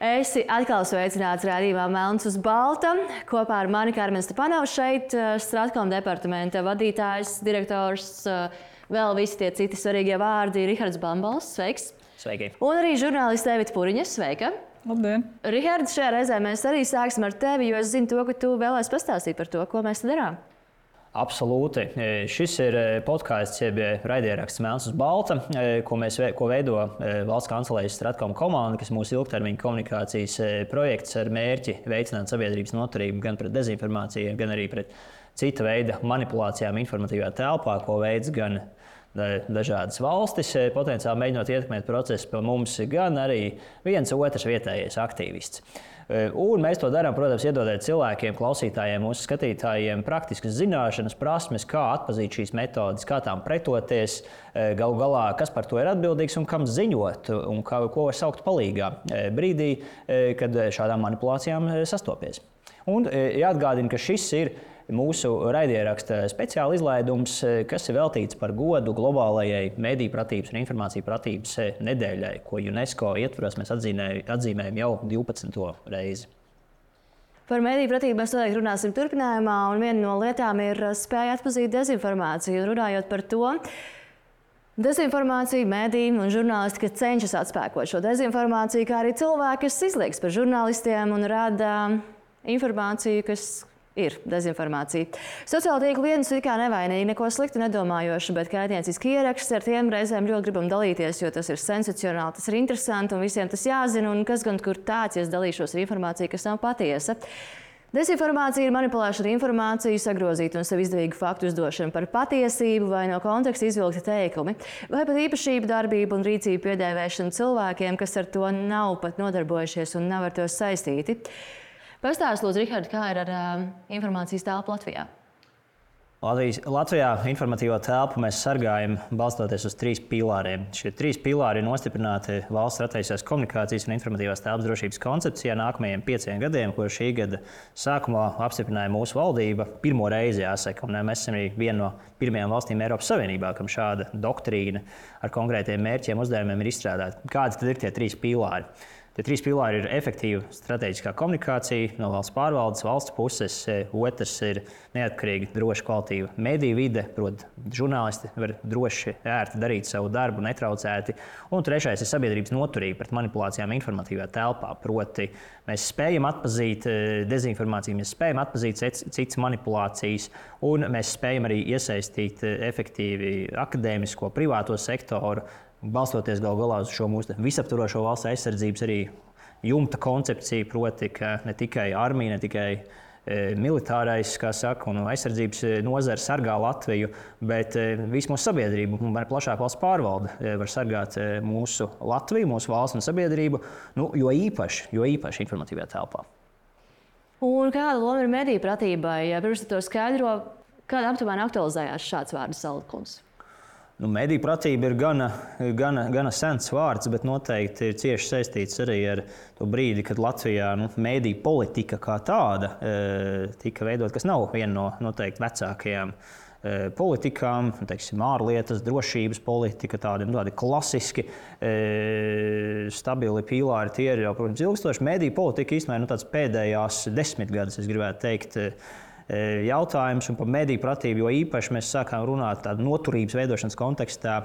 Esi atkal sveicināts raidījumā Melns uz balta. Kopā ar mani Karmen Stepanovs šeit Stratkom departamenta vadītājs, direktors, vēl visi tie citi svarīgie vārdi Rihards Bambals. Sveiks! Sveiki! Un arī žurnālists Evita Puriņa. Sveika! Labdien! Rihards, šajā reizē mēs arī sāksim ar tevi, jo es zinu to, ka tu vēlēsi pastāstīt par to, ko mēs darām. Absolūti. Šis ir podkāsts, jeb raidieraksts Melns uz balta, ko veido valsts kancelējas Stratkom komanda, kas mūsu ilgtermiņa komunikācijas projekts ar mērķi veicināt sabiedrības noturību gan pret dezinformāciju, gan arī pret cita veida manipulācijām informatīvā telpā, ko veids gan dažādas valstis, potenciāli mēģinot ietekmēt procesu pa mums, gan arī viens otrs vietējais aktīvists. Un mēs to darām, protams, iedodot cilvēkiem, klausītājiem, mūsu skatītājiem praktiskas zināšanas, prasmes, kā atpazīt šīs metodes, kā tām pretoties, galu galā, kas par to ir atbildīgs un kam ziņot, un ko var saukt palīgā brīdī, kad šādām manipulācijām sastopies. Un jāatgādina, ka šis ir mūsu raidieraksta speciāla izlaidums, kas ir veltīts par godu globālajai mediju pratības un informāciju pratības nedēļai, ko UNESCO ietvaros mēs atzīmējam jau 12. reizi. Par mediju pratību mēs noteikti runāsim turpinājumā, un viena no lietām ir spēja atpazīt dezinformāciju. Runājot par to, dezinformācija, mediji un žurnālistika cenšas atspēkot šo dezinformāciju, kā arī cilvēki, kas izliekas par žurnālistiem un rada informāciju, kas ir dezinformācija. Sociāla tīkla viens ir kā nevainīgi, neko sliktu nedomājoši, bet kaitnieciski ieraksts, ar tiem reizēm ļoti gribam dalīties, jo tas ir sensacionāli, tas ir interesanti un visiem tas jāzina, un kas gan kur tāds, ja es dalīšos ar informāciju, kas nav patiesa. Dezinformācija ir manipulēšana ar informāciju, sagrozīta un sev izdevīgu faktu uzdošana par patiesību vai no konteksta izvilkti teikumi, vai pat īpašību, darbību un rīcību piedēvēšana cilvēkiem, kas ar to nav pat nodarbojušies un nav ar to saistīti. Pastāst, lūdzu, Rihard, kā ir ar informācijas telpu Latvijā? Latvijā informatīvo telpu mēs sargājam balstoties uz 3 pīlāriem. Šie 3 pīlāri ir nostiprināti valsts strateģiskās komunikācijas un informatīvās telpas drošības koncepcijā nākamajiem 5 gadiem, ko šī gada sākumā apstiprināja mūsu valdība. Pirmo reizi jāsaka, un mēs esam arī viena no pirmajām valstīm Eiropas Savienībā, kam šāda doktrīna ar konkrētiem mērķiem uzdevumiem ir izstrādāta. Kādi tad ir tie 3 pīlāri? Tie 3 pilāri ir efektīva strateģiskā komunikācija no valsts pārvaldes, valsts puses. Otrs ir neatkarīga, droša, kvalitīva mediju vide, proti, žurnālisti var droši, ērti darīt savu darbu, netraucēti. Un trešais ir sabiedrības noturība pret manipulācijām informatīvā telpā. Proti, mēs spējam atpazīt dezinformāciju, mēs spējam atpazīt citas manipulācijas, un mēs spējam arī iesaistīt efektīvi akadēmisko, privāto sektoru, balstoties galu galā uz šo mūsu visaptvarošo valsts aizsardzības arī jumta koncepciju, proti, ka ne tikai armija, ne tikai militārais, kā saka, un aizsardzības nozare sargā Latviju, bet visu mūsu sabiedrību un plašāk valsts pārvalde var sargāt mūsu Latviju, mūsu valsts un sabiedrību, jo īpaši informatīvajā telpā. Un kāda loma ir mediju pratībai? Pirms to skaidro, kāda aptuveni aktualizējās šāds vārdu salikums? Mediju pratība ir gana sens vārds, bet noteikti ir cieši saistīts arī ar to brīdi, kad Latvijā mediju politika kā tāda tika veidot, kas nav viena no noteikti vecākajām politikām, teiksim, ārlietas, drošības politika, tādi klasiski stabili pīlāri. Tie ir jau, protams, ilgstoši. Mediju politika īstenībā tāds pēdējās 10 gadus, es gribētu teikt, jautājums, un par mediju pratību, jo īpaši mēs sākām runāt tādu noturības veidošanas kontekstā.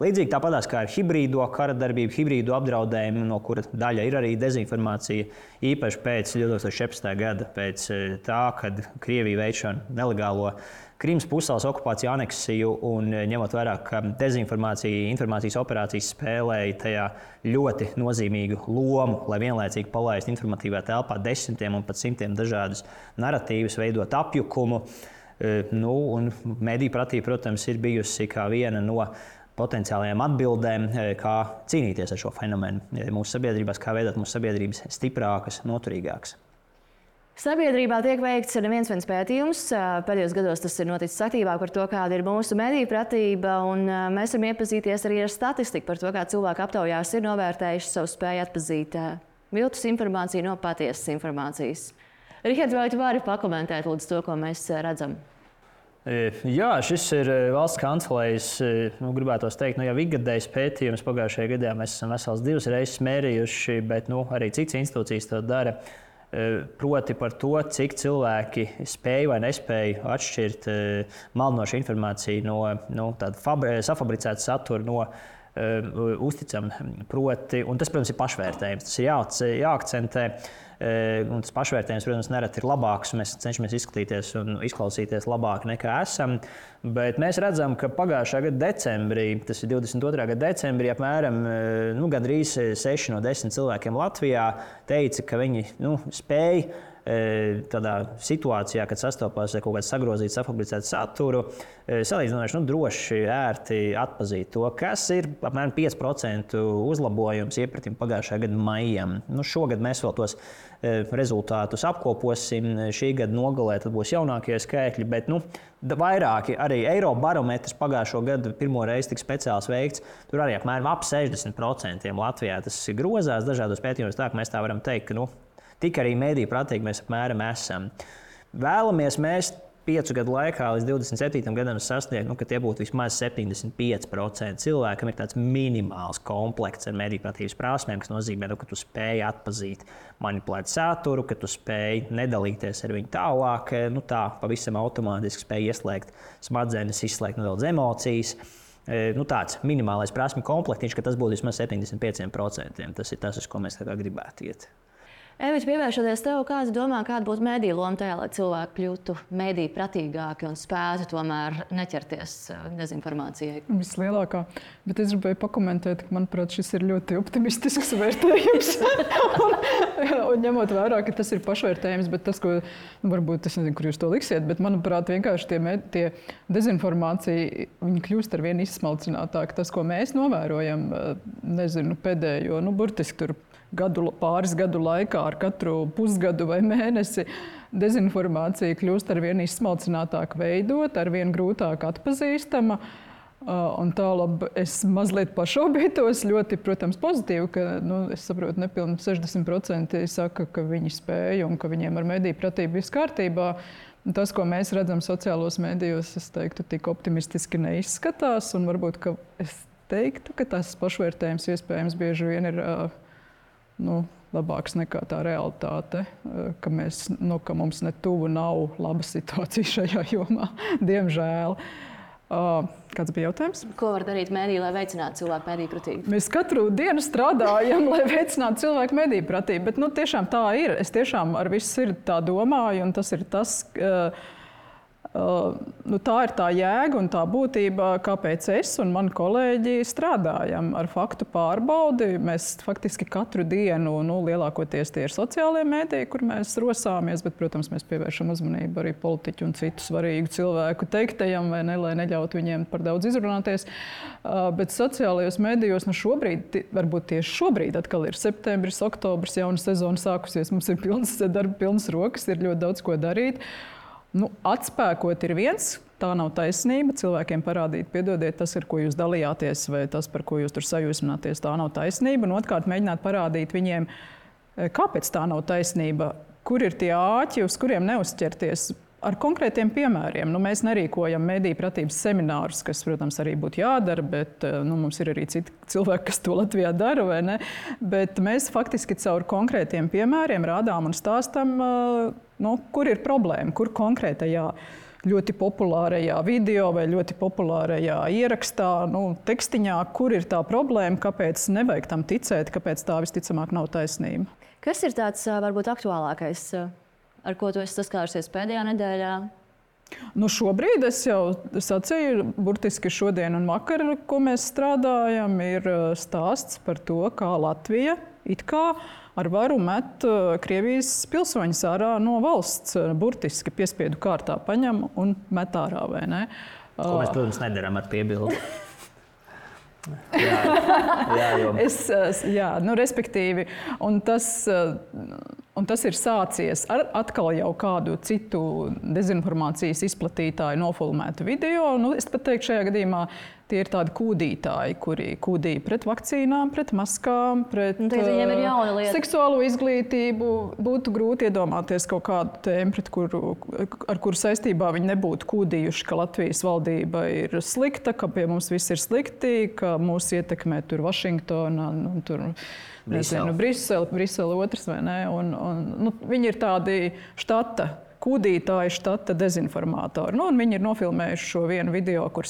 Līdzīgi tāpatās kā ar hibrīdo karadarbību, hibrīdo apdraudējumu, no kura daļa ir arī dezinformācija, īpaši pēc 2014. gada, pēc tā, kad Krievija veic šo nelegālo Krimas pussalas okupāciju, aneksiju, un ņemot vērā, ka dezinformācija, informācijas operācijas spēlēja tajā ļoti nozīmīgu lomu, lai vienlaicīgi palaistu informatīvā telpā desmitiem un pat simtiem dažādus naratīvus, veidot apjukumu. Un mediju pratība, protams, ir bijusi kā viena no potenciālajām atbildēm, kā cīnīties ar šo fenomenu mūsu sabiedrībās, kā veidot mūsu sabiedrības stiprākas, noturīgākas. Sabiedrībā tiek veikts neviens pētījums. Pēdējos gados tas ir noticis aktīvāk par to, kāda ir mūsu mediju pratība, un mēs varam iepazīties arī ar statistiku par to, kā cilvēki aptaujās ir novērtējuši savu spēju atpazīt viltus informāciju no patiesas informācijas. Rihard, vai tu vari pakomentēt lūdzu to, ko mēs redzam? Jā, šis ir valsts kancelējas, gribētos teikt, jau ikgadējs pētījums. Pagājušajā gadā mēs esam vesels 2 reizes mērījuši, bet arī citas institūcijas to dara. Proti par to, cik cilvēki spēj vai nespēj atšķirt maldinošu informāciju no tāda safabricēta satura no uzticama. Un tas, protams, ir pašvērtējums. Tas ir jāakcentē. Un tas pašvērtējums, protams, nereti ir labāks. Mēs cenšamies izskatīties un izklausīties labāk nekā esam. Bet mēs redzam, ka pagājušā gada decembrī, tas ir 22. gada decembrī, apmēram gandrīz 6 no 10 cilvēkiem Latvijā teica, ka viņi spēj tādā situācijā, kad sastopās ar kaut kādu sagrozītu, safabricētu saturu, salīdzinoši droši, ērti atpazīt to, kas ir apmēram 5% uzlabojums iepratim pagājušā gada maijam. Šogad mēs vēl tos rezultātus apkoposim. Šī gada nogalē tad būs jaunākie skaitļi, bet vairāki arī Eirobarometrs pagājušo gadu pirmo reizi tik speciāls veikts. Tur arī apmēram ap 60% Latvijā tas grozās dažādos pētījumos, tā ka mēs tā varam teikt, ka tik arī mediju pratīgi mēs apmēram esam. Vēlamies mēs 5 gadu laikā līdz 27. gadam sasniegt, ka tie būtu vismaz 75% cilvēkam ir tāds minimāls komplekts ar mediju pratības prasmēm, kas nozīmē, ka tu spēj atpazīt manipulēt saturu, ka tu spēj nedalīties ar viņu tālāk, tā pavisam automātiski spēj ieslēgt smadzenes, izslēgt nedaudz emocijas. Tāds minimālais prasmju komplektiņš, ka tas būtu vismaz 75%. Tas ir tas, uz ko mēs gribētu iet. Evita, pievēršoties tev, kāds domā, kāda būtu mediju loma tajā, lai cilvēki kļūtu mediju pratīgāki un spētu tomēr neķerties dezinformācijai? Vislielākā. Bet es gribēju pakomentēt, ka, manuprāt, šis ir ļoti optimistisks vērtējums. un ņemot vērā, ka tas ir pašvērtējums, bet tas, ko, varbūt, es nezinu, kur jūs to liksiet, bet, manuprāt, vienkārši tie dezinformācija, viņi kļūst ar vien izsmalcinātāk. Tas, ko mēs novērojam, pēdējo, burtiski tur pāris gadu laikā, ar katru pusgadu vai mēnesi, dezinformācija kļūst ar vien izsmalcinātāk veidot, ar vien grūtāk atpazīstama. Un tālāk es mazliet pašaubītos, ļoti, protams, pozitīvi, ka, es saprotu, nepilni 60% saka, ka viņi spēja un ka viņiem ar mediju pratību viss kārtībā. Tas, ko mēs redzam sociālos medijos, es teiktu, tik optimistiski neizskatās, un varbūt, ka es teiktu, ka tas pašvērtējums iespējams bieži vien ir labāks nekā tā realitāte, ka mums ne tuvu nav laba situācija šajā jomā, diemžēl. Kāds bija jautājums? Ko var darīt mediji, lai veicinātu cilvēku mediju pratību? Mēs katru dienu strādājam, lai veicinātu cilvēku mediju pratību, bet tiešām tā ir. Es tiešām ar visu sirdi tā domāju, un tas ir tas, tā ir tā jēga un tā būtība, kāpēc es un mani kolēģi strādājam ar faktu pārbaudi. Mēs faktiski katru dienu, lielākoties tie ir sociālie mediji, kur mēs rosāmies, bet, protams, mēs pievēršam uzmanību arī politiķu un citu svarīgu cilvēku teiktajam, vai ne, lai neļautu viņiem par daudz izrunāties. Bet sociālajos medijos šobrīd, varbūt tieši šobrīd, atkal ir septembris, oktobris, jauna sezona sākusies, mums ir pilnas rokas, ir ļoti daudz ko darīt. Atspēkot ir viens, tā nav taisnība. Cilvēkiem parādīt, piedodiet, tas, ar ko jūs dalījāties, vai tas, par ko jūs tur sajūsmināties, tā nav taisnība. Un otrkārt, mēģināt parādīt viņiem, kāpēc tā nav taisnība, kur ir tie āķi, uz kuriem neuzķerties. Ar konkrētiem piemēriem. Mēs nerīkojam mediju pratības seminārus, kas, protams, arī būtu jādara, bet mums ir arī citi cilvēki, kas to Latvijā dara, vai ne? Bet mēs faktiski caur konkrētiem piemēriem rādām un stāstam, kur ir problēma, kur konkrētajā ļoti populārajā video vai ļoti populārajā ierakstā, tekstiņā, kur ir tā problēma, kāpēc nevajag tam ticēt, kāpēc tā visticamāk nav taisnība. Kas ir tāds varbūt aktuālākais, ar ko tu esi saskārusies pēdējā nedēļā? Šobrīd es jau sacīju, burtiski šodien un vakar, ko mēs strādājam, ir stāsts par to, kā Latvija it kā ar varu met Krievijas pilsoņus ārā no valsts, burtiski piespiedu kārtā paņem un met ārā, vai ne? Ko mēs, protams, nedaram ar piebildi. Respektīvi, un tas ir sācies ar atkal jau kādu citu dezinformācijas izplatītāju nofilmētu video. Es pat teiktu, šajā gadījumā Tie ir tādi kūdītāji, kuri kūdīja pret vakcīnām, pret maskām, pret seksuālo izglītību. Būtu grūti iedomāties kaut kādu tēmu, ar kuru saistībā viņi nebūtu kūdījuši, ka Latvijas valdība ir slikta, ka pie mums viss ir slikti, ka mūs ietekmē tur Vašingtona un tur Brisele otrs, vai ne? Viņi ir tādi kūdītāji, štata dezinformātori. Un viņi ir nofilmējuši šo vienu video, kur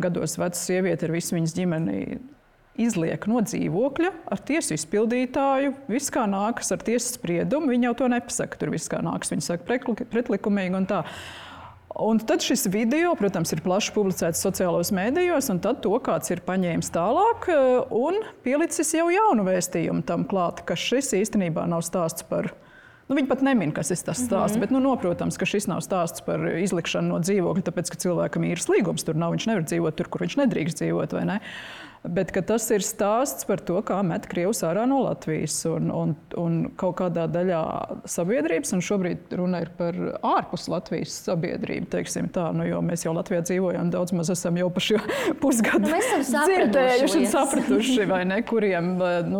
gados veca sieviete ar visu viņas ģimeni izliek no dzīvokļa ar tiesu izpildītāju. Viss kā nākas ar tiesas spriedumu, viņi jau to nepasaka. Tur viss kā nākas, viņi saka pretlikumīgi un tā. Un tad šis video, protams, ir plaši publicēts sociālos mēdījos, un tad to kāds ir paņēmis tālāk un pielicis jau jaunu vēstījumu tam klāt, ka šis īstenībā nav stāsts par... Viņi pat nemin, kas ir tas stāsts, bet noprotams, ka šis nav stāsts par izlikšanu no dzīvokļa, tāpēc, ka cilvēkam īres līgums tur nav, viņš nevar dzīvot tur, kur viņš nedrīkst dzīvot, vai ne? Bet tas ir stāsts par to, kā met Krievus ārā no Latvijas un kaut kādā daļā sabiedrības, un šobrīd runa ir par ārpus Latvijas sabiedrību, teiksim tā, jo mēs jau Latvijā dzīvojam, daudz maz esam jau pa šo pusgadu dzirdējuši un sapratuši, vai ne, kuriem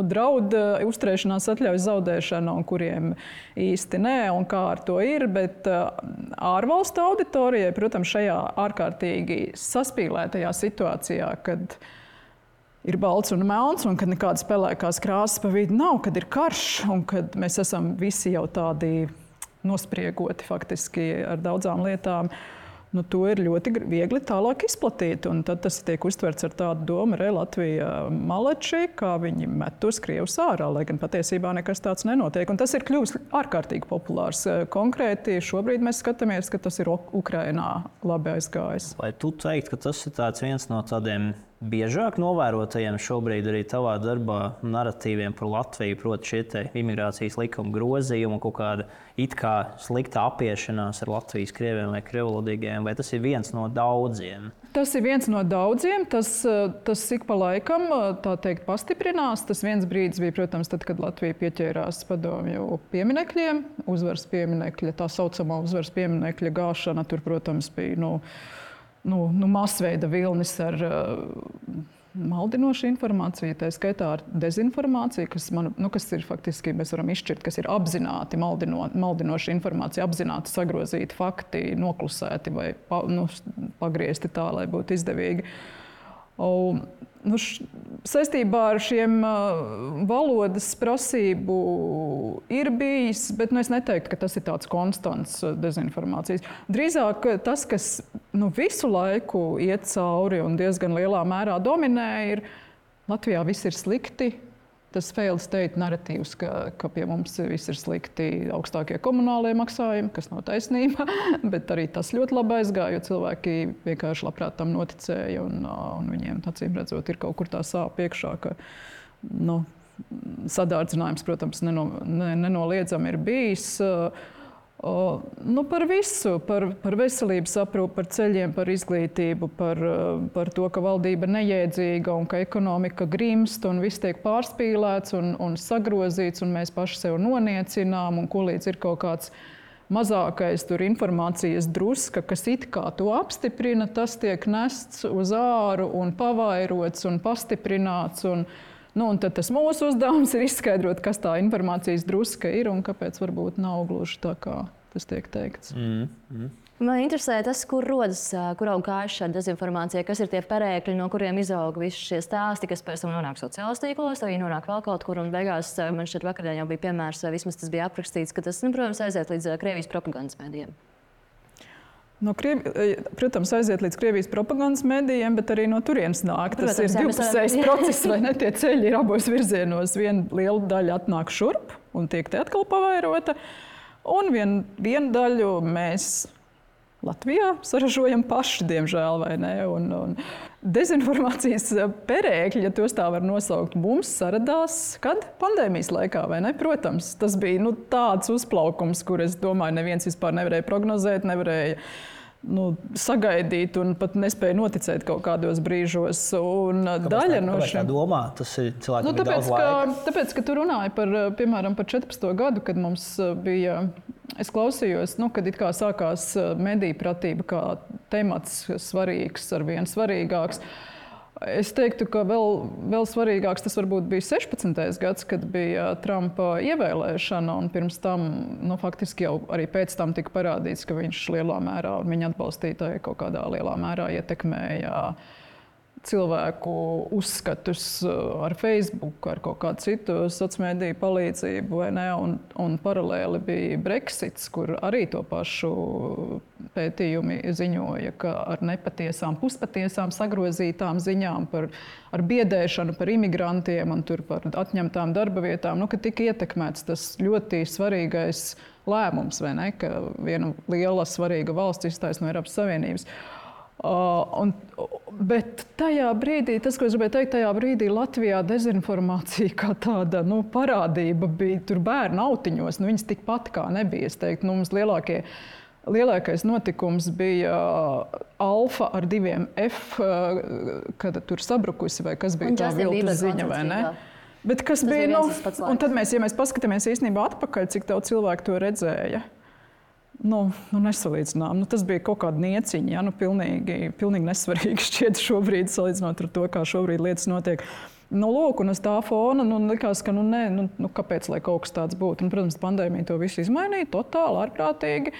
draud uzturēšanās atļaujas zaudēšana un kuriem īsti nē, un kā ar to ir, bet ārvalstu auditorijai, protams, šajā ārkārtīgi saspīlētajā situācijā, kad ir balts un melns, un kad nekādas pelēkās krāsas pa vidu nav, kad ir karš, un kad mēs esam visi jau tādi nospriegoti faktiski ar daudzām lietām, to ir ļoti viegli tālāk izplatīt. Un tad tas tiek uztverts ar tādu domu, Latvija maleči, kā viņi met tos Krievus ārā, lai gan patiesībā nekas tāds nenotiek. Un tas ir kļuvis ārkārtīgi populārs. Konkrēti šobrīd mēs skatāmies, ka tas ir Ukrainā labi aizgājis. Vai tu teikt, ka tas ir viens no tādiem biežāk novērotajiem šobrīd arī tavā darbā naratīviem par Latviju, proti šie imigrācijas likuma grozījumi, kaut kāda it kā slikta apiešanās ar Latvijas krieviem vai krievlodīgiem, vai tas ir viens no daudziem? Tas ir viens no daudziem. Tas ik pa laikam, tā teikt, pastiprinās. Tas viens brīdis bija, protams, tad, kad Latvija pieķērās padomju pieminekļiem, uzvaras pieminekļa, tā saucamā uzvaras pieminekļa gāšana. Tur, protams, bija masveida vilnis ar maldinošu informāciju, tā skaitā ar dezinformāciju, kas ir faktiski, mēs varam izšķirt, kas ir apzināti maldinoša informācija, apzināti sagrozīti fakti, noklusēti vai pagriezti tā, lai būtu izdevīgi. Saistībā ar šiem valodas prasību ir bijis, bet es neteiktu, ka tas ir tāds konstants dezinformācijas. Drīzāk tas, kas visu laiku iet cauri un diezgan lielā mērā dominē, ir Latvijā viss ir slikti. Tas failed state narratīvs, ka pie mums viss ir slikti, augstākie komunālie maksājumi, kas nav taisnība, bet arī tas ļoti labi aizgāja, jo cilvēki vienkārši labprāt tam noticēja un viņiem, acīm redzot, ir kaut kur tā sāp iekšā, ka sadārdzinājums, protams, nenoliedzami ir bijis. Par visu, par veselības aprūpi, par ceļiem, par izglītību, par to, ka valdība nejēdzīga un ka ekonomika grimst un viss tiek pārspīlēts un sagrozīts un mēs paši sev noniecinām un ko līdz ir kaut kāds mazākais tur informācijas druska, kas it kā to apstiprina, tas tiek nests uz āru un pavairots un pastiprināts un tad tas mūsu uzdevums ir izskaidrot, kas tā informācijas druska ir un kāpēc varbūt nav gluži tā, kā tas tiek teikts. Man interesē tas, kur rodas, kur aug kājas šāda dezinformācija, kas ir tie perēkļi, no kuriem izaug visi šie stāsti, kas pēc tam nonāk sociālajos tīklos, arī nonāk vēl kaut kur, un beigās man šķiet vakardien jau bija piemērs, vismaz tas bija aprakstīts, ka tas, protams, aiziet līdz Krievijas propagandas mēdījiem. Protams, aiziet līdz Krievijas propagandas mēdījiem, bet arī no turienes nāk. Tas ir divpusējs process, vai ne? Tie ceļi ir abos virzienos. Viena liela daļa atnāk šurp un tiek te atkal pavairota. Un vienu daļu mēs Latvijā saražojam paši, diemžēl, vai ne? Un dezinformācijas perēkļi, ja tos tā var nosaukt, mums saradās, kad? Pandēmijas laikā, vai ne? Protams, tas bija tāds uzplaukums, kur es domāju, neviens vispār nevarēja prognozēt, nevarēja sagaidīt un pat nespēja noticēt kaut kādos brīžos. Kāpēc tā domā? Tas ir cilvēkiem daudz laika. Tāpēc, ka tu runāji par 14. gadu, kad mums bija es klausījos, kad it kā sākās mediju pratība kā temats svarīgs, arvien svarīgāks. Es teiktu, ka vēl svarīgāks tas varbūt bija 16. gads, kad bija Trumpa ievēlēšana, un pirms tam, faktiski jau arī pēc tam tika parādīts, ka viņš lielā mērā, un viņa atbalstītāji kaut kādā lielā mērā ietekmēja cilvēku uzskatus ar Facebook, ar kaut kādu citu sociālmediju palīdzību, vai ne? Un paralēli bija Brexits, kur arī to pašu pētījumi ziņoja, ka ar nepatiesām, puspatiesām sagrozītām ziņām ar biedēšanu par imigrantiem un tur par atņemtām darba vietām, ka tika ietekmēts tas ļoti svarīgais lēmums, vai ne? Ka viena liela svarīga valsts izstājas no Eiropas Savienības. Bet tajā brīdī, tas, ko es gribēju teikt, tajā brīdī Latvijā dezinformācija kā tāda parādība bija tur bērnu autiņos. Viņas tikpat kā nebija. Es teiktu, mums lielākais notikums bija Alfa ar 2 F, kad tur sabrukusi, vai kas bija tā viltus ziņa, vai ne? Bet kas bija, un tad ja mēs paskatāmies īstenībā atpakaļ, cik daudz cilvēku to redzēja. Nesalīdzinām. Tas bija kaut kāda nieciņa, pilnīgi nesvarīgi šķiet šobrīd, salīdzinot ar to, kā šobrīd lietas notiek. Lūk, un uz tā fona likās, ka kāpēc, lai kaut kas tāds būtu. Protams, pandēmija to visu izmainīja totāli, ārprātīgi.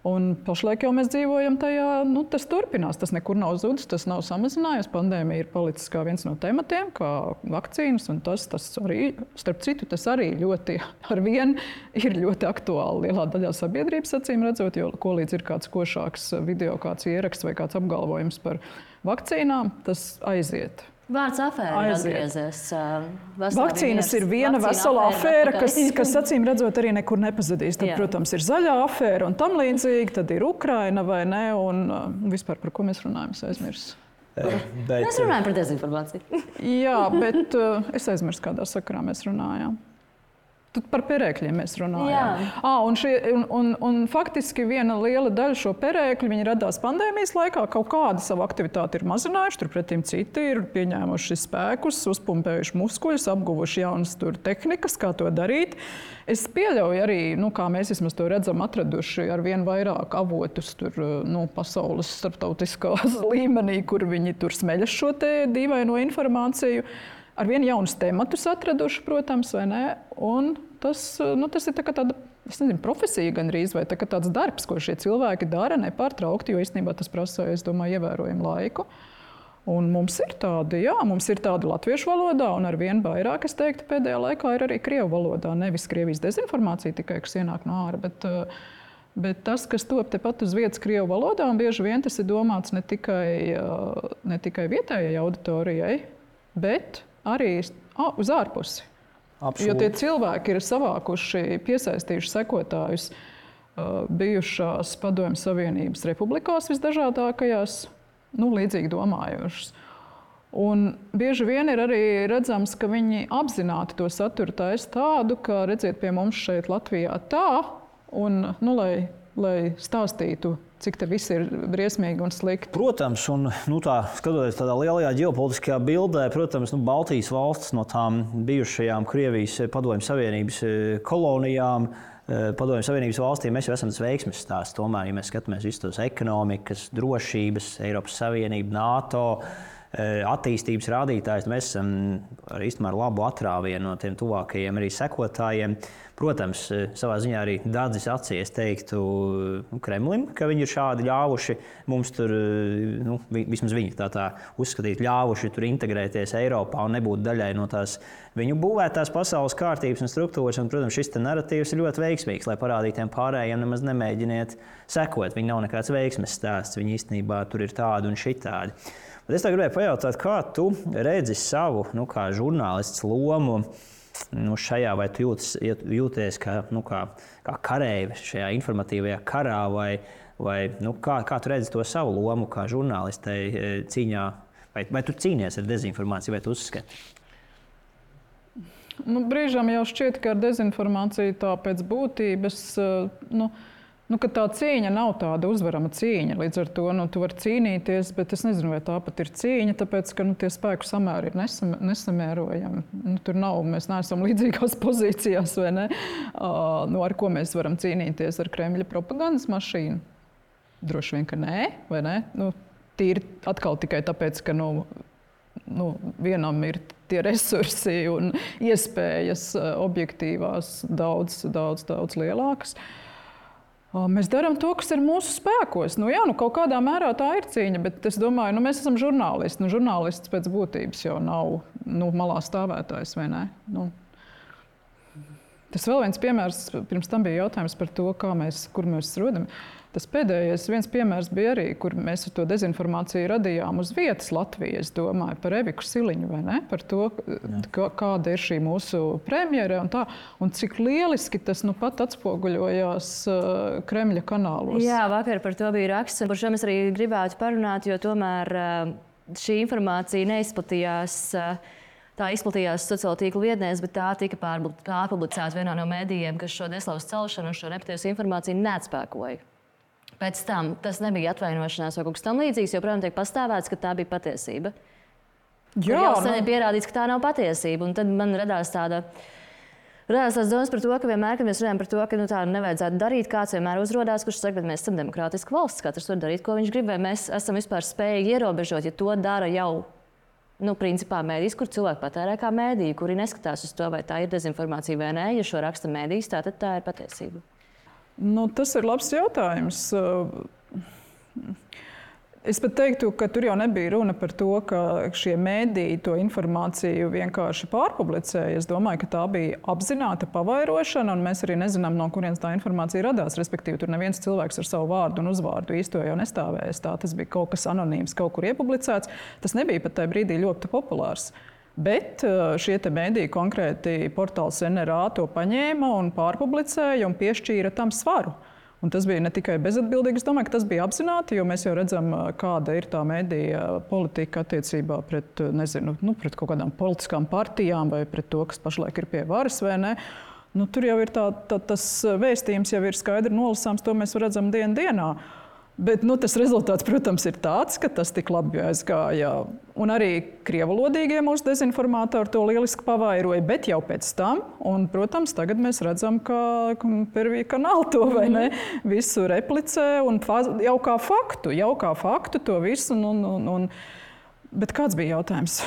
Un pašlaik jau mēs dzīvojam tajā, tas turpinās, tas nekur nav zudis, tas nav samazinājies. Pandēmija ir palicis kā viens no tematiem, kā vakcīnas, un tas arī, starp citu, tas arī ļoti arvien ir ļoti aktuāli lielā daļā sabiedrības, acīm redzot, jo ko līdz ir kāds košāks video, kāds ieraksts vai kāds apgalvojums par vakcīnām, tas aiziet. Vārds afēra ir atgriezies. Vakcīnas ir viena vesela afēra, kas acīm redzot arī nekur nepazudīs. Tad, protams, ir zaļā afēra un tam līdzīgi, tad ir Ukraina vai ne, un vispār par ko mēs runājam, es aizmirsu. Mēs runājam par dezinformāciju. Jā, bet es aizmirsu, kādā sakarā mēs runājām. Par perēkļiem mēs runājām. Un faktiski viena liela daļa šo perēkļu viņi radās pandēmijas laikā. Kaut kādu savu aktivitāti ir mazinājuši, turpretim citi ir pieņēmuši spēkus, uzpumpējuši muskuļus, apguvuši jaunas tehnikas, kā to darīt. Es pieļauju arī, kā mēs vismaz to redzam, atraduši ar vien vairāk avotus pasaules starptautiskās līmenī, kur viņi tur smeļas šo te dīvaino informāciju. Ar vien jaunus tematus atraduši, protams, vai ne? Un tas ir tā kā tāda, es nezinu, profesija gandrīz, vai tā kā tāds darbs, ko šie cilvēki dara nepārtraukti, jo īstenībā tas prasa, es domāju, ievērojumu laiku. Un mums ir tādi latviešu valodā, un ar vien vairāk, es teiktu, pēdējā laikā ir arī krievu valodā. Nevis Krievijas dezinformācija tikai, kas ienāk no ārā, bet tas, kas top tepat uz vietas krievu valodā, un bieži vien tas ir domāts ne tikai vietējai auditorijai, bet arī uz ārpusi. Absolūti. Jo tie cilvēki ir savākuši, piesaistījuši sekotājus bijušās Padomju Savienības republikās visdažādākajās, līdzīgi domājošas. Un bieži vien ir arī redzams, ka viņi apzināti to saturu taisa tādu, ka redziet pie mums šeit Latvijā tā, un lai stāstītu, cik te viss ir briesmīgi un slikti. Protams, un skatoties tādā lielajā ģeopolitiskajā bildē, protams, Baltijas valstis no tām bijušajām Krievijas Padomju Savienības kolonijām, Padomju Savienības valstīm, mēs jau esam tas veiksmes stāsts. Tomēr, ja mēs skatāmies visus tos ekonomikas, drošības, Eiropas Savienību, NATO, attīstības rādītājs, mēs esam ar labu atrāvienu no tiem tuvākajiem arī sekotājiem. Protams, savā ziņā arī dadzis acīs teiktu Kremlim, ka viņi ir šādi ļāvuši mums tur, vismaz viņi tā uzskatīt, ļāvuši tur integrēties Eiropā un nebūt daļai no tās viņu būvētās pasaules kārtības un struktūras. Un, protams, šis narratīvs ir ļoti veiksmīgs, lai parādītu tiem pārējiem nemaz nemēģiniet sekot. Viņi nav nekāds veiksmes stāsts, viņi īstenībā tur ir tādi un šitādi. Bet es tā gribēju pajautāt, kā tu redzi savu, kā žurnālists lomu šajā, vai tu jūties kā kareive šajā informatīvajā karā, vai kā tu redzi to savu lomu kā žurnālistei cīņā, vai tu cīnies ar dezinformāciju, vai tu uzskati? Brīžām jau šķiet, ka ar dezinformāciju tā pēc būtības, Ka tā cīņa nav tāda uzvarama cīņa. Līdz ar to tu vari cīnīties, bet es nezinu, vai tā pat ir cīņa, tāpēc, ka tie spēku samēri ir nesamērojami. Mēs neesam līdzīgās pozīcijās, vai ne? Ar ko mēs varam cīnīties? Ar Kremļa propagandas mašīnu? Droši vien, ka nē, vai ne? Tīri atkal tikai tāpēc, ka vienam ir tie resursi un iespējas objektīvās daudz lielākas. Mēs darām to, kas ir mūsu spēkos. Kaut kādā mērā tā ir cīņa, bet es domāju, mēs esam žurnālisti. Žurnālists pēc būtības jau nav malā stāvētājs, vai ne? Tas vēl viens piemērs, pirms tam bija jautājums par to, kur mēs rodam. Tas pēdējais viens piemērs bija arī, kur mēs to dezinformāciju radījām uz vietas Latvijā. Es domāju par Eviku Siliņu, vai ne? Par to, kāda ir šī mūsu premjere un tā. Un cik lieliski tas pat atspoguļojās Kremļa kanālos. Jā, vakar par to bija raksts, par šo mēs arī gribētu parunāt, jo tomēr šī informācija neizplatījās. Tā izplatījās sociālo tīklu vietnēs, bet tā tika pārpublicēta vienā no mēdījiem, kas šo neslavas celšanu un šo nepatiesu informāciju neatspēkoja. Pēc tam tas nebija atvainošanās vai kaut kas tam līdzīgs, jo, protams, tiek pastāvēts, ka tā bija patiesība. Jā, jau sen ir pierādīts, ka tā nav patiesība. Un tad man radās tās domas par to, ka vienmēr, kad mēs runājam par to, ka tā nevajadzētu darīt, kāds vienmēr uzrodās, kurš saka, bet mēs esam demokrātiska valsts, katrs var darīt, ko viņš grib, vai mēs esam vispār spējīgi ierobežot, ja to dara jau principā mēdījis, kur cilvēki patērē kā mēdīji, kuri neskatās uz to, vai tā ir dezinformācija vai nē, ja šo raksta mēdījis, tad tā ir patiesība. Tas ir labs jautājums. Es pat teiktu, ka tur jau nebija runa par to, ka šie mēdīji to informāciju vienkārši pārpublicēja. Es domāju, ka tā bija apzināta pavairošana, un mēs arī nezinām, no kurienes tā informācija radās. Respektīvi, tur neviens cilvēks ar savu vārdu un uzvārdu īsto jau nestāvēs. Tas bija kaut kas anonīms, kaut kur iepublicēts. Tas nebija pat tajā brīdī ļoti populārs. Bet šie mēdīji, konkrēti portāls NRA, to paņēma un pārpublicēja un piešķīra tam svaru. Un tas bija ne tikai bezatbildīgi, es domāju, ka tas bija apzināti, jo mēs jau redzam, kāda ir tā mēdīja politika attiecībā pret, pret kaut kādām politiskām partijām vai pret to, kas pašlaik ir pie varas vai ne. Tur jau ir tas vēstījums jau ir skaidri nolasāms, to mēs redzam dienā. Bet tas rezultāts, protams, ir tāds, ka tas tik labi aizgāja. Un arī krievalodīgie mūsu dezinformātori to lieliski pavairoja, bet jau pēc tam. Un, protams, tagad mēs redzam, ka Pervija kanāla to vai ne, visu replicē un jau kā faktu to visu. Bet kāds bija jautājums?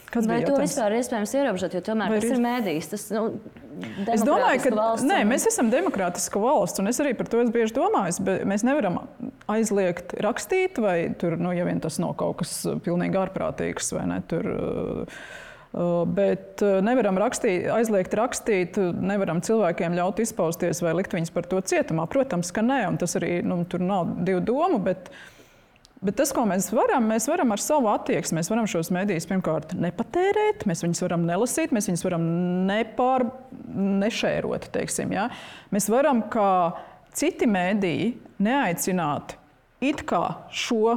Vai to vispār ir iespējams ierobežot, jo tomēr tas ir mēdījis? Es domāju, ka mēs esam demokrātiska valsts, un es arī par to esmu bieži domājis, bet mēs nevaram aizliegt rakstīt, vai tur, ja vien tas nav kaut kas pilnīgi ārprātīgs, vai ne, tur... Bet nevaram aizliegt rakstīt, nevaram cilvēkiem ļaut izpausties vai likt viņus par to cietumā. Protams, ka nē, un tas arī, tur nav divu domu, bet tas, ko mēs varam ar savu attieksmi, mēs varam šos mēdījus pirmkārt nepatērēt, mēs viņus varam nelasīt, mēs viņus varam nešērot, teiksim, ja? Mēs varam, kā citi mēdīji, neaicināt it kā šo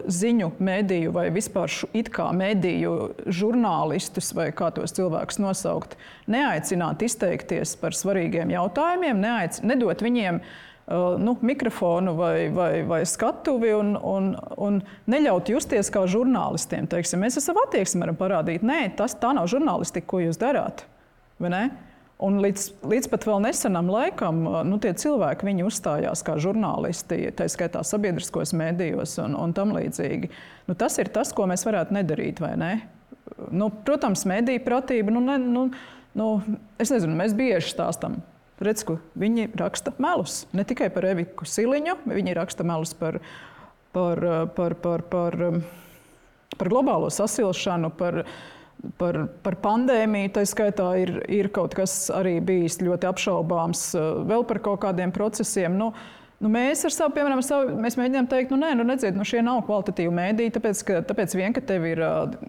ziņu mēdīju vai vispār it kā mēdīju žurnālistus vai kā tos cilvēkus nosaukt, neaicināt izteikties par svarīgiem jautājumiem, nedot viņiem mikrofonu vai skatuvi un neļaut justies kā žurnālistiem. Teiksim, mēs ar savu attieksmi varam parādīt, nē, tā nav žurnālistika, ko jūs darāt. Vai ne? Un līdz pat vēl nesenam laikam tie cilvēki, viņi uzstājās kā žurnālisti, tā skaitā sabiedriskos mēdījos un tam līdzīgi. Tas ir tas, ko mēs varētu nedarīt, vai ne? Protams, mēdīju pratība, es nezinu, mēs bieži stāstam. Redz, ka viņi raksta melus. Ne tikai par Eviku Siliņu, viņi raksta melus par globālo sasilšanu, par pandēmiju. Tā skaitā ir kaut kas arī bijis ļoti apšaubāms vēl par kaut kādiem procesiem. Mēs ar savu, piemēram, mēs mēģinām teikt, nedziet, šie nav kvalitatīvi mēdīji, tāpēc vien, ka tev ir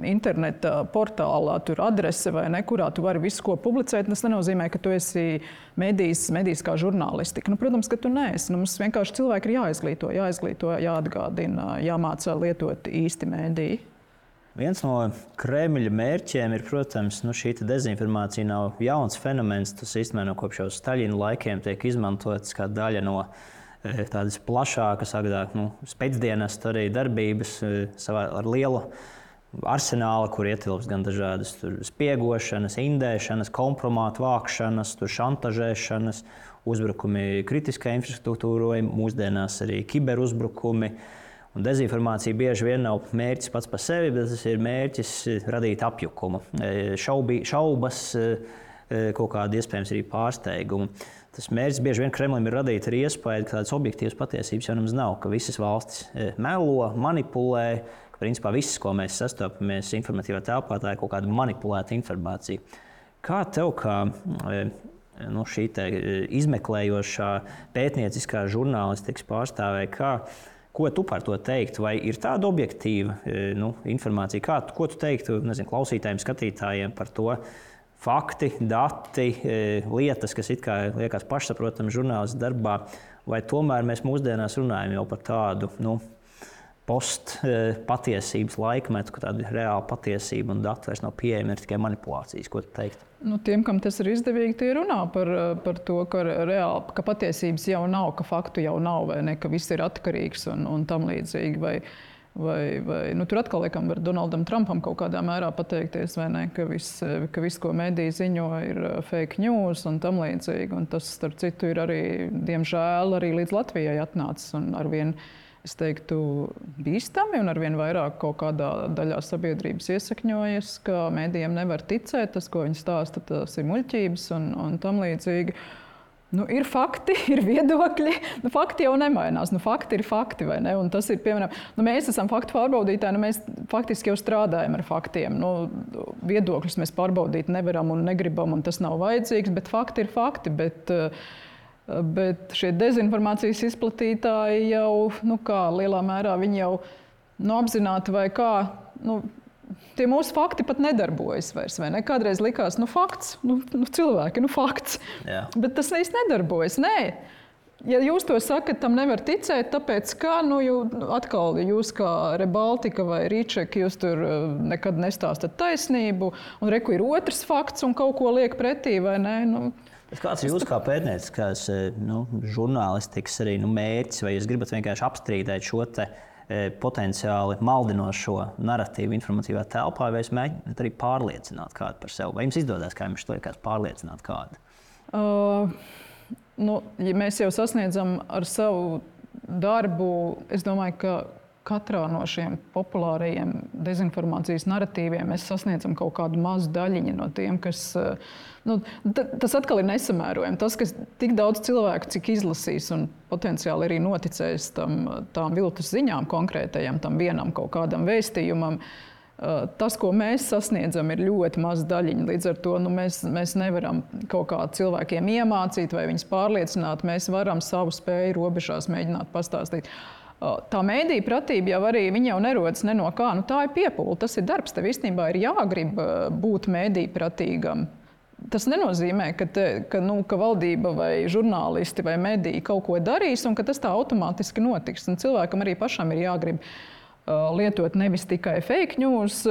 interneta portālā tur adrese vai ne, kurā tu vari visu, ko publicēt, tas nenozīmē, ka tu esi mēdījis kā žurnālistika. Protams, ka tu neesi. Mums vienkārši cilvēki ir jāizglīto, jāatgādina, jāmācā lietot īsti mēdīji. Viens no Kremļa mērķiem ir, protams, šī dezinformācija nav jauns fenomens. Tas īstenībā no kopš jau Staļina laikiem tiek izmantots kā daļa no tādas plašākas, spēcdienas arī darbības ar lielu arsenālu, kur ietilps gan dažādas spiegošanas, indēšanas, kompromātu vākšanas, šantažēšanas, uzbrukumi kritiskai infrastruktūrai, mūsdienās arī kiberuzbrukumi. Un dezinformācija bieži vien nav mērķis pats par sevi, bet tas ir mērķis radīt apjukumu, šaubas, kaut kādu iespējams arī pārsteigumu. Tas mērķis bieži vien Kremlim ir radīt arī iespēju, ka tādas objektīvas patiesības jau nemaz nav, ka visas valstis melo, manipulē, ka principā viss, ko mēs sastopamies informatīvā telpā, tā ir kaut kāda manipulēta informācija. Kā tev, kā šī izmeklējošā pētnieciskā žurnālistikas pārstāvēja, ko tu par to teiktu? Vai ir tāda objektīva informācija? Ko tu teiktu klausītājiem, skatītājiem par to? Fakti, dati, lietas, kas it kā liekas pašsaprotami žurnālistu darbā, vai tomēr mēs mūsdienās runājam jau par tādu post-patiesības laikmetu, ka tāda reāla patiesība un dati vairs nav pieejami, ir tikai manipulācijas? Ko tu teiktu? Tiem, kam tas ir izdevīgi, tie runā par to, ka patiesības jau nav, ka faktu jau nav, vai ne, ka viss ir atkarīgs un tam līdzīgi. Tur atkal liekam var Donaldam Trumpam kaut kādā mērā pateikties, vai ne, ka viss, ko mediji ziņo, ir fake news un tam līdzīgi. Un tas, starp citu, ir arī, diemžēl, arī līdz Latvijai atnācis un arvien, es teiktu, bīstami un arvien vairāk kaut kādā daļā sabiedrības iesakņojas, ka medijiem nevar ticēt, tas, ko viņi stāsta, tas ir muļķības un tam līdzīgi. Ir fakti, ir viedokļi. Fakti jau nemainās. Fakti ir fakti, vai ne? Un tas ir, piemēram, mēs esam faktu pārbaudītāji, mēs faktiski jau strādājam ar faktiem. Viedokļus mēs pārbaudīt nevaram un negribam, un tas nav vajadzīgs, bet fakti ir fakti. Bet šie dezinformācijas izplatītāji jau, lielā mērā viņi jau apzināti vai kā, tie mūsu fakti pat nedarbojas vairs, vai ne? Kādreiz likās, fakts, cilvēki, fakts. Jā. Bet tas īsti nedarbojas. Nē. Ja jūs to sakat, tam nevar ticēt, tāpēc kā, atkal jūs kā Rebaltika vai Rīček, jūs tur nekad nestāstat taisnību, un reku ir otrs fakts un kaut ko liek pretī, vai ne? Kāds ir jūs kā pētnieciskās žurnālistikas arī mērķis, vai jūs gribat vienkārši apstrīdēt šo te potenciāli maldinošo narratīvu informatīvā telpā, vai jūs mēģināt arī pārliecināt kādu par sevi? Vai jums izdodas, kā jums to liekas, pārliecināt kādu? Ja mēs jau sasniedzam ar savu darbu, es domāju, ka katrā no šiem populārajiem dezinformācijas narratīviem mēs sasniedzam kaut kādu mazu daļiņu no tiem, kas... tas atkal ir nesamērojami. Tas, ka tik daudz cilvēku, cik izlasīs un potenciāli arī noticēs tām viltus ziņām konkrētajam, tam vienam kaut kādam vēstījumam, tas, ko mēs sasniedzam, ir ļoti maz daļiņa. Līdz ar to mēs nevaram kaut kā cilvēkiem iemācīt vai viņus pārliecināt. Mēs varam savu spēju robežās mēģināt pastāstīt. Tā mēdīja pratība jau arī, viņa jau nerodas ne no kā. Tā ir piepūle, tas ir darbs. Tev īstenībā ir jāgrib būt mēdīja pratīgam. Tas nenozīmē, ka valdība vai žurnālisti vai mediji kaut ko darīs un ka tas tā automātiski notiks. Un cilvēkam arī pašam ir jāgrib lietot nevis tikai fake news,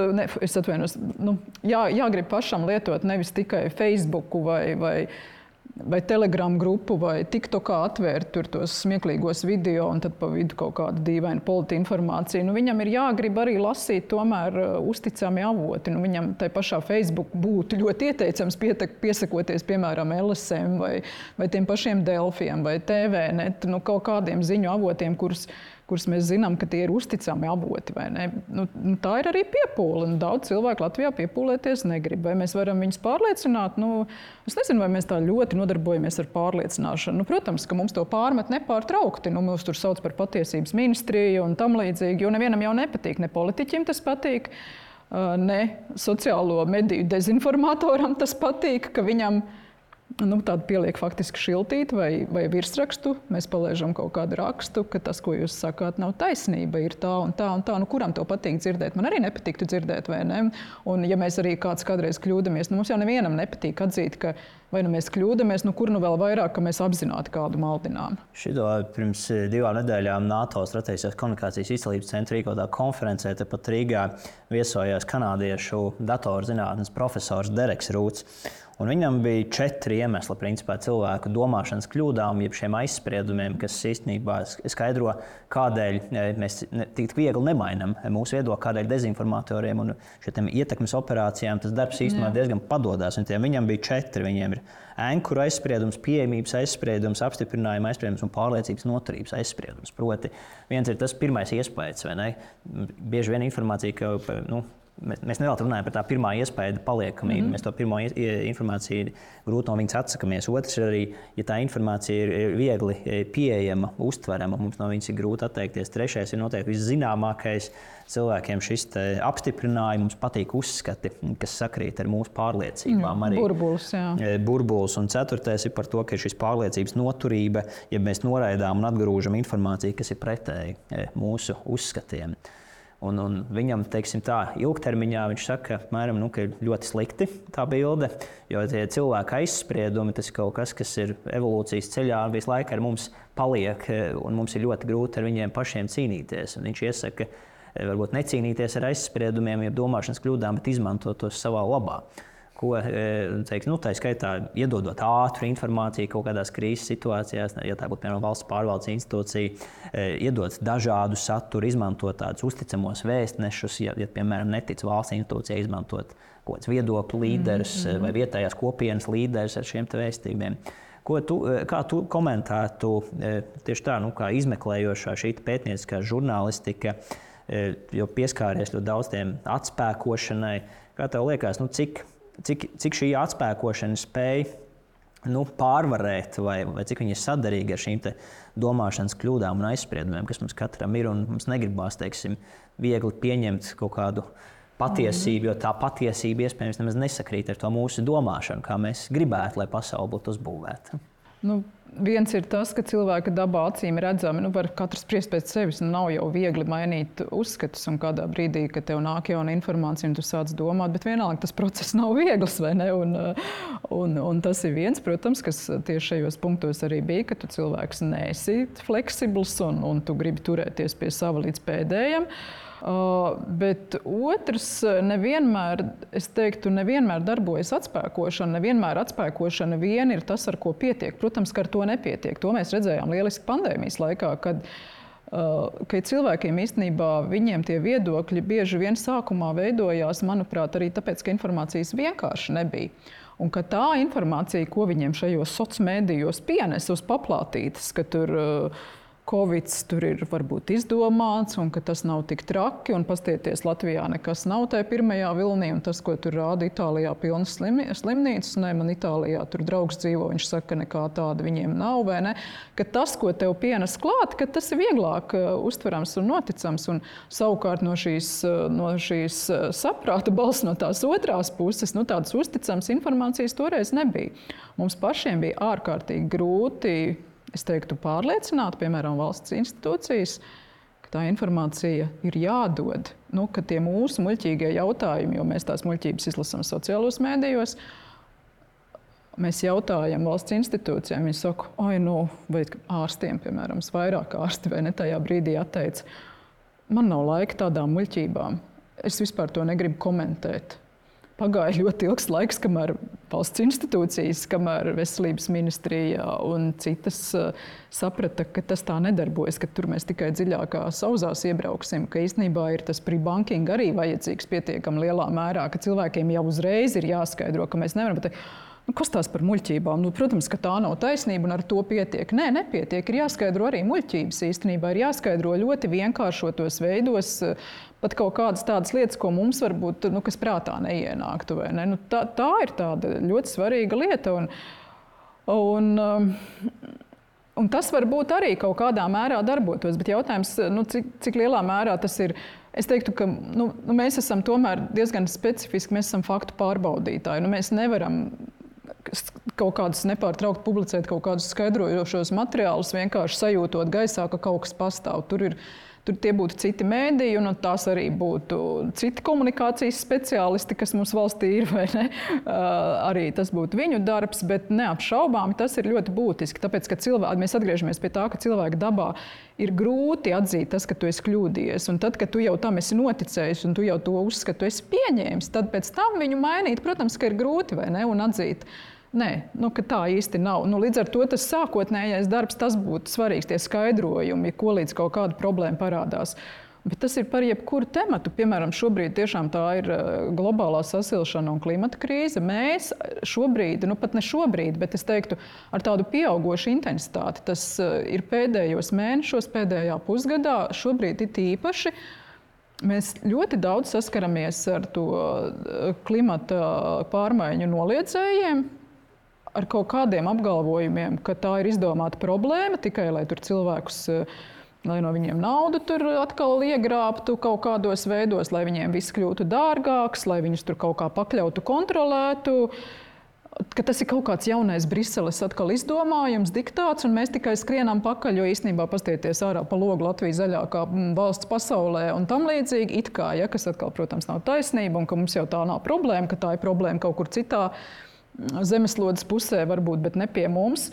jāgrib pašam lietot nevis tikai Facebooku vai Telegram grupu vai TikTokā atvērt tur tos smieklīgos video un tad pa vidu kaut kādu dīvainu politi informāciju. Viņam ir jāgrib arī lasīt tomēr uzticami avoti. Viņam tai pašā Facebook būtu ļoti ieteicams piesakoties, piemēram, LSM vai tiem pašiem Delfiem vai TVNet, kaut kādiem ziņu avotiem, kurus mēs zinām, ka tie ir uzticami avoti, vai ne? Tā ir arī piepūle, un daudz cilvēku Latvijā piepūlēties negrib. Vai mēs varam viņus pārliecināt? Es nezinu, vai mēs tā ļoti nodarbojamies ar pārliecināšanu. Protams, ka mums to pārmet nepārtraukti. Mums tur sauc par patiesības ministriju un tam līdzīgi, jo nevienam jau nepatīk, ne politiķim tas patīk, ne sociālo mediju dezinformatoram tas patīk, ka viņam tādu pieliek faktiski šiltīti vai virsrakstu. Mēs palaižam kaut kādu rakstu, ka tas, ko jūs sakāt, nav taisnība, ir tā un tā un tā. Kuram to patīk dzirdēt? Man arī nepatiktu dzirdēt, vai ne? Un ja mēs arī kādreiz kļūdamies, mums jau nevienam nepatīk atzīt, ka vai nu mēs kļūdamies, kur nu vēl vairāk, ka mēs apzināti kādu maldinām. Šito pirms 2 nedēļām NATO strateģiskās komunikācijas izcelības centra rīkotā konferencē tepat Rīgā viesojās kanādiešu datorzinātnes profesors Dereks Rūts. Un viņam bija 4 iemesli principā cilvēku domāšanas kļūdām, jeb šiem aizspriedumiem, kas īstenībā skaidro, kādēļ mēs tik viegli nemainam mūsu viedokli, kādēļ dezinformatoriem un šiem ietekmes operācijām tas darbs īstenībā diezgan padodas. Viņam bija 4. Viņiem ir ankuru aizspriedums, pieejamības aizspriedums, apstiprinājuma aizspriedums un pārliecības noturības aizspriedums. Proti, viens ir tas pirmais iespējas, vai ne? Bieži vien informācija, ka mēs nevēlamies runāt par tā pirmā iespēja paliekamību. Mēs to pirmo informāciju grūti no viņas atsakamies. Otrs ir arī, ja tā informācija ir viegli pieejama, uztverama, mums no viņas ir grūti atteikties. Trešais ir noteikti viszināmākais. Cilvēkiem šis apstiprinājums patīk uzskati, kas sakrīt ar mūsu pārliecībām. Burbulis, jā. Burbulis. Un 4. ir par to, ka ir šis pārliecības noturība, ja mēs noraidām un atgrūžam informāciju, kas ir pretēji mūsu uzskatiem. Un viņam, teiksim tā, ilgtermiņā viņš saka, apmēram, ka ir ļoti slikti tā bilde, jo tie cilvēka aizspriedumi, tas ir kaut kas, kas ir evolūcijas ceļā un visu laiku ar mums paliek, un mums ir ļoti grūti ar viņiem pašiem cīnīties. Un viņš iesaka, varbūt necīnīties ar aizspriedumiem, ja domāšanas kļūdām, bet izmantot tos savā labā. Ko, teiks, tā skaitā iedodot ātru informāciju kaut kādās krīzes situācijās, ja tā būtu, piemēram, valsts pārvaldes institūcija, iedot dažādu saturu, izmantot tādus uzticamos vēstnešus, ja piemēram, netic valsts institūcijai izmantot kaut kāds viedokļu līderis vai vietējās kopienas līderis ar šiem vēstījumiem. Kā tu komentētu tieši tā, kā izmeklējošā šī pētnieciskā žurnālistika, jo pieskāries ļoti daudz tiem atspēkošanai, kā tev liekas, cik šī atspēkošana spēja pārvarēt vai cik viņi ir sadarīgi ar šīm domāšanas kļūdām un aizspriedumiem, kas mums katram ir, un mums negribās, teiksim, viegli pieņemt kaut kādu patiesību, jo tā patiesība iespējams nemaz nesakrīt ar to mūsu domāšanu, kā mēs gribētu, lai pasaule būtu uzbūvēta. Viens ir tas, ka cilvēka dabā acīm redzami, var katrs spriest pēc sevis, nav jau viegli mainīt uzskatus, un kādā brīdī, kad tev nāk jauna informācija un tu sāc domāt, bet vienalga tas process nav viegls, vai ne? Un tas ir viens, protams, kas tieši šajos punktos arī bija, ka tu cilvēks neesi fleksibls un tu gribi turēties pie sava līdz pēdējam. Bet otrs, nevienmēr darbojas atspēkošana, nevienmēr atspēkošana vien ir tas, ar ko pietiek. Protams, ka ar to nepietiek. To mēs redzējām lieliski pandēmijas laikā, kad cilvēkiem īstenībā viņiem tie viedokļi bieži vien sākumā veidojās, manuprāt, arī tāpēc, ka informācijas vienkārši nebija. Un ka tā informācija, ko viņiem šajos sociālos mēdījos pienes uz paplātītes, ka tur Covids tur ir varbūt izdomāts un ka tas nav tik traki un pastieties Latvijā nekas nav tajā pirmajā vilnī un tas, ko tur rāda Itālijā pilnas slimnīcas, man Itālijā tur draugs dzīvo, viņš saka, nekā tāda viņiem nav, vai ne? Ka tas, ko tev pienes klāt, ka tas ir vieglāk uztverams un noticams un savukārt no šīs saprāta balss no tās otrās puses, tādas uzticams informācijas toreiz nebija. Mums pašiem bija ārkārtīgi grūti, es teiktu, pārliecināt, piemēram, valsts institūcijas, ka tā informācija ir jādod. Ka tie mūsu muļķīgie jautājumi, jo mēs tās muļķības izlasām sociālos mēdījos, mēs jautājam valsts institūcijām, viņi saka, vai ārstiem, piemēram, vairāk ārsti vai ne tajā brīdī atteica, man nav laika tādām muļķībām, es vispār to negribu komentēt. Pagāja ļoti ilgs laiks, kamēr valsts institūcijas, kamēr veselības ministrija un citas saprata, ka tas tā nedarbojas, ka tur mēs tikai dziļākā sauzās iebrauksim, ka īstenībā ir tas pre-banking arī vajadzīgs pietiekami lielā mērā, ka cilvēkiem jau uzreiz ir jāskaidro, ka mēs nevaram pateikt, kas tās par muļķībām? Protams, ka tā nav taisnība un ar to pietiek. Nē, nepietiek. Ir jāskaidro arī muļķības īstenībā. Ir jāskaidro ļoti vienkāršotos veidos pat kaut kādas tādas lietas, ko mums varbūt, kas prātā neienāktu. Vai ne? Tā ir tāda ļoti svarīga lieta. Un tas varbūt arī kaut kādā mērā darbotos. Bet jautājums, cik lielā mērā tas ir. Es teiktu, ka mēs esam tomēr diezgan specifiski, mēs esam faktu pārbaudītāji. Mēs nevaram kaut kādus nepārtraukt publicēt kaut kādus skaidrojošos materiālus, vienkārši sajūtot gaisā, ka kaut kas pastāv. Tur ir Tur tie būtu citi mēdīji, un tās arī būtu citi komunikācijas speciālisti, kas mums valstī ir, vai ne? Arī tas būtu viņu darbs, bet neapšaubāmi tas ir ļoti būtiski. Tāpēc, ka mēs atgriežamies pie tā, ka cilvēka dabā ir grūti atzīt tas, ka tu esi kļūdījies. Un tad, kad tu jau tam esi noticējis un tu jau to uzskati, tu esi pieņēmis, tad pēc tam viņu mainīt, protams, ka ir grūti, vai ne? Un atzīt. Nē, ka tā īsti nav. Līdz ar to tas sākotnējais darbs, tas būtu svarīgs, tie skaidrojumi, ko līdz kaut kāda problēma parādās. Bet tas ir par jebkuru tematu. Piemēram, šobrīd tiešām tā ir globālā sasilšana un klimata krīze. Mēs šobrīd, pat ne šobrīd, bet es teiktu, ar tādu pieaugošu intensitāti, tas ir pēdējos mēnešos, pēdējā pusgadā, šobrīd ir īpaši. Mēs ļoti daudz saskaramies ar to klimata pārmaiņu noliedzējiem, ar kaut kādiem apgalvojumiem, ka tā ir izdomāta problēma tikai, lai tur cilvēkus, lai no viņiem naudu tur atkal iegrābtu kaut kādos veidos, lai viņiem viss kļūtu dārgāks, lai viņus tur kaut kā pakļautu, kontrolētu, ka tas ir kaut kāds jaunais Briseles atkal izdomājums, diktāts, un mēs tikai skrienam pakaļ, jo īstenībā pastieties ārā pa logu Latvija zaļākā valsts pasaulē un tam līdzīgi, it kā, kas atkal, protams, nav taisnība, un ka mums jau tā nav problēma, ka tā ir problēma kaut kur citā zemeslodes pusē varbūt, bet ne pie mums.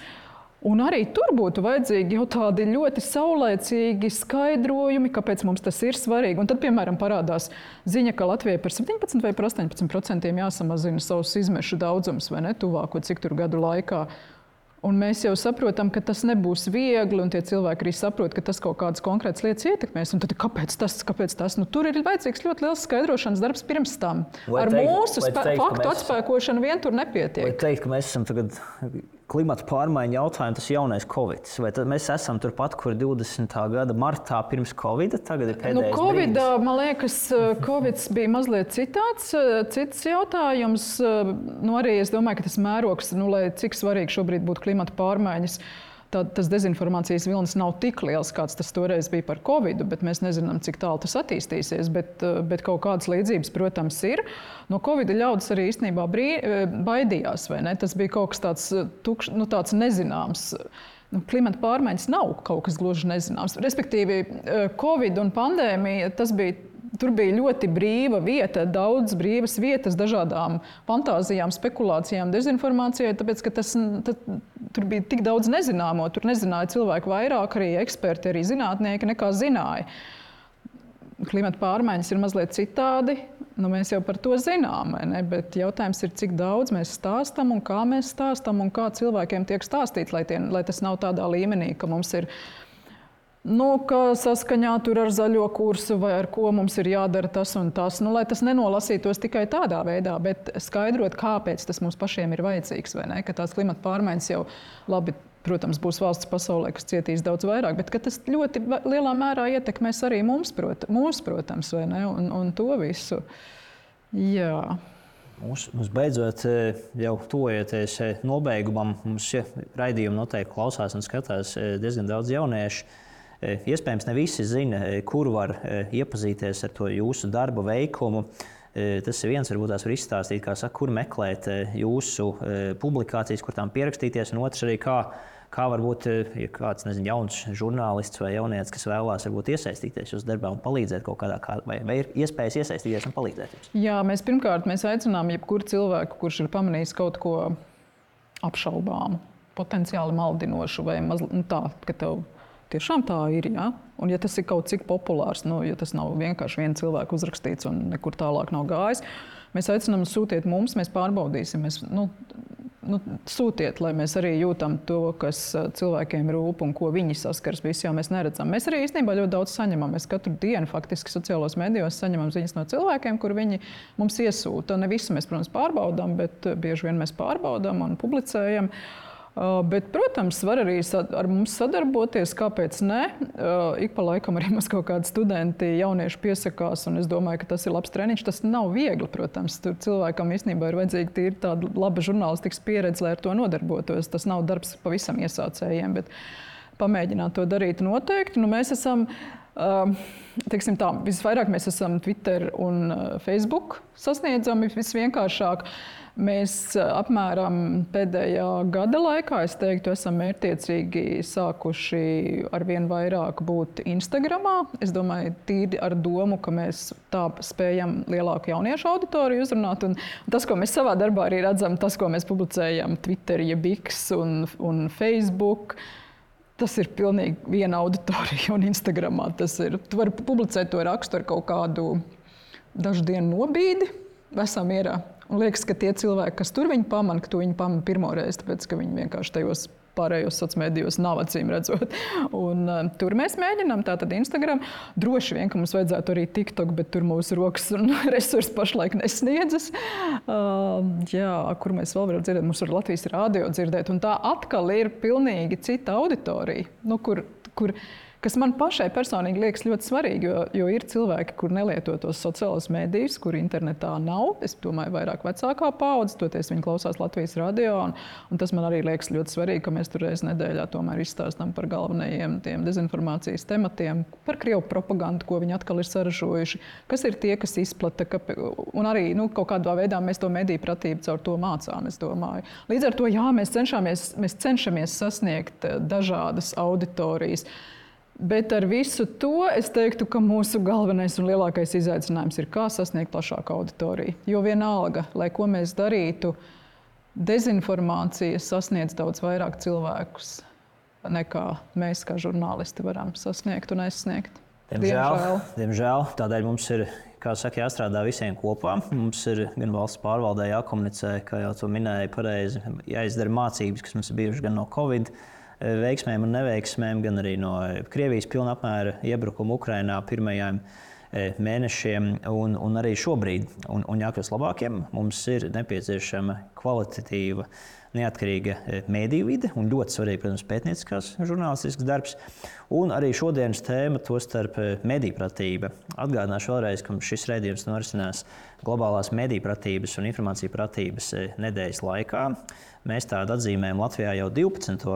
Un arī tur būtu vajadzīgi jau tādi ļoti saulēcīgi skaidrojumi, kāpēc mums tas ir svarīgi. Un tad, piemēram, parādās ziņa, ka Latvijai par 17 vai par 18% jāsamazina savus izmešu daudzums, vai ne, tuvāko cik tur gadu laikā. Un mēs jau saprotam, ka tas nebūs viegli, un tie cilvēki arī saprot, ka tas kaut kādas konkrētas lietas ietekmēs. Un tad kāpēc tas? Tur ir vajadzīgs ļoti liels skaidrošanas darbs pirms tam. Ar mūsu faktu atspēkošanu vien tur nepietiek. Vai teikt, ka mēs esam tagad klimata pārmaiņu jautājumu, tas jaunais Covid. Vai tad mēs esam turpat, kur 20. gada martā pirms Covid, tagad ir pēdējais brīdis? Man liekas, Covid bija mazliet cits jautājums. Arī es domāju, ka tas mērogs, lai cik svarīgi šobrīd būtu klimata pārmaiņas, tas dezinformācijas vilnis nav tik liels, kāds tas toreiz bija par Covidu, bet mēs nezinām, cik tālu tas attīstīsies. Bet kaut kādas līdzības, protams, ir. No Covida ļaudis arī īstenībā baidījās, vai ne? Tas bija kaut kas tāds nezināms. Klimata pārmaiņas nav kaut kas gluži nezināms. Respektīvi, Covid un pandēmija, tur bija ļoti brīva vieta, daudz brīvas vietas dažādām fantāzijām, spekulācijām, dezinformācijai, tāpēc, ka tur bija tik daudz nezināmo. Tur nezināja cilvēku vairāk, arī eksperti, arī zinātnieki nekā zināja. Klimata pārmaiņas ir mazliet citādi. Mēs jau par to zinām, ne? Bet jautājums ir, cik daudz mēs stāstam un kā cilvēkiem tiek stāstīts, lai tas nav tādā līmenī, ka mums ir ka saskaņā tur ar zaļo kursu vai ar ko mums ir jādara tas un tas. Lai tas nenolasītos tikai tādā veidā, bet skaidrot, kāpēc tas mums pašiem ir vajadzīgs, vai ne? Ka tās klimata pārmaiņas jau labi, protams, būs valsts pasaulē, kas cietīs daudz vairāk, bet ka tas ļoti lielā mērā ietekmēs arī mums, protams, vai ne? Un to visu. Jā. Mums beidzot jau tuvojoties nobeigumam, mums šie raidījumi noteikti klausās un skatās diezgan daudz jauniešu. Iespējams, ne visi zina, kur var iepazīties ar to jūsu darba veikumu. Tas ir viens, varbūt tās var izstāstīt, kur meklēt jūsu publikācijas, kur tām pierakstīties, un otrs arī, kā varbūt kāds, jauns žurnālists vai jaunietis, kas vēlās varbūt iesaistīties jūsu darbā un palīdzēt kaut kādā, vai ir iespējas iesaistīties un palīdzēt jums? Jā, mēs aicinām jebkuru cilvēku, kurš ir pamanījis kaut ko apšaubāmu, potenciāli maldinošu vai tā, ka tev tiešām tā ir, ja? Un ja tas ir kaut cik populārs, ja tas nav vienkārši viena cilvēka uzrakstīts un nekur tālāk nav gājis, mēs aicinām sūtiet mums, mēs pārbaudīsim. Sūtiet, lai mēs arī jūtam to, kas cilvēkiem rūp un ko viņi saskars, visi jau mēs neredzam. Mēs arī īstenībā ļoti daudz saņemam. Mēs katru dienu faktiski sociālos medijos saņemam ziņas no cilvēkiem, kur viņi mums iesūta. Ne visu mēs, protams, pārbaudām, bet bieži vien mēs pārbaudām un publicējam. Bet, protams, var arī ar mums sadarboties, kāpēc ne. Ik pa laikam arī mums kaut kādi studenti, jaunieši piesakās, un es domāju, ka tas ir labs treniņš. Tas nav viegli, protams. Tur cilvēkam īstenībā ir vajadzīga tīri tāda laba žurnālistikas pieredze, lai ar to nodarbotos. Tas nav darbs pavisam iesācējiem, bet pamēģināt to darīt noteikti. Mēs esam Teiksim tā, visvairāk mēs esam Twitter un Facebook sasniedzami visvienkāršāk. Mēs apmēram pēdējā gada laikā, es teiktu, esam mērķtiecīgi sākuši arvien vairāk būt Instagramā. Es domāju, tīri ar domu, ka mēs tā spējam lielāku jauniešu auditoriju uzrunāt. Un tas, ko mēs savā darbā arī redzam, tas, ko mēs publicējam Twitter, jeb X un Facebook, tas ir pilnīgi viena auditorija un Instagramā. Tu vari publicēt to rakstu ar kaut kādu dažu dienu nobīdi, vesā mierā. Un liekas, ka tie cilvēki, kas tur viņu pamana, ka to viņi pamana pirmoreiz, tāpēc, ka viņi vienkārši tajos pārējos sociālos medijos nav acīm redzot. Un tur mēs mēģinām, tātad Instagram. Droši vien, ka mums vajadzētu arī TikTok, bet tur mūsu rokas un resursi pašlaik nesniedzas. Kur mēs vēl varam dzirdēt? Mums var Latvijas rādio dzirdēt. Un tā atkal ir pilnīgi cita auditorija, kas man pašai personīgi liekas ļoti svarīgi, jo ir cilvēki, kur nelieto tos sociālos medijus, kur internetā nav. Es domāju, vairāk vecākā paudze, toties viņi klausās Latvijas radio, un tas man arī liekas ļoti svarīgi, ka mēs tur reiz nedēļā tomēr izstāstam par galvenajiem tiem dezinformācijas tematiem, par Krievu propagandu, ko viņi atkal ir saražojuši, kas ir tie, kas izplata, un arī kaut kādā veidā mēs to mediju pratību caur to mācām, es domāju. Līdz ar to, mēs cenšamies sasniegt dažādas auditorijas. Bet ar visu to es teiktu, ka mūsu galvenais un lielākais izaicinājums ir, kā sasniegt plašāku auditoriju. Jo vienalga, lai ko mēs darītu, dezinformācija sasniedz daudz vairāk cilvēkus, nekā mēs kā žurnālisti varam sasniegt un aizsniegt. Diemžēl. Tādēļ mums ir, kā saka, jāstrādā visiem kopā. Mums ir gan valsts pārvaldē jākomunicē, kā jau to minēja pareizi, jāizdara mācības, kas mums ir bijušas gan no Covid veiksmēm un neveiksmēm, gan arī no Krievijas pilna apmēra iebrukuma Ukrainā pirmajiem mēnešiem un arī šobrīd. Un jākļūst labākiem, mums ir nepieciešama kvalitatīva, neatkarīga mēdīju vide un ļoti svarīgi, protams, pētnieciskās žurnālistisks darbs. Un arī šodienas tēma, tostarp medijpratība. Atgādināšu vēlreiz, ka šis raidījums norisinās globālās medijpratības un informāciju pratības nedēļas laikā. Mēs tādu atzīmējam Latvijā jau 12.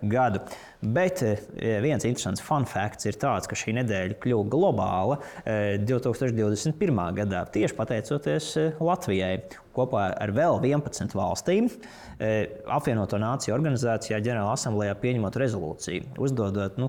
gadu. Bet viens interesants fun facts ir tāds, ka šī nedēļa kļuva globāla 2021. gadā, tieši pateicoties Latvijai. Kopā ar vēl 11 valstīm apvienoto nāciju organizācijā ģenerāla asamblējā pieņemot rezolūciju, uzdodot,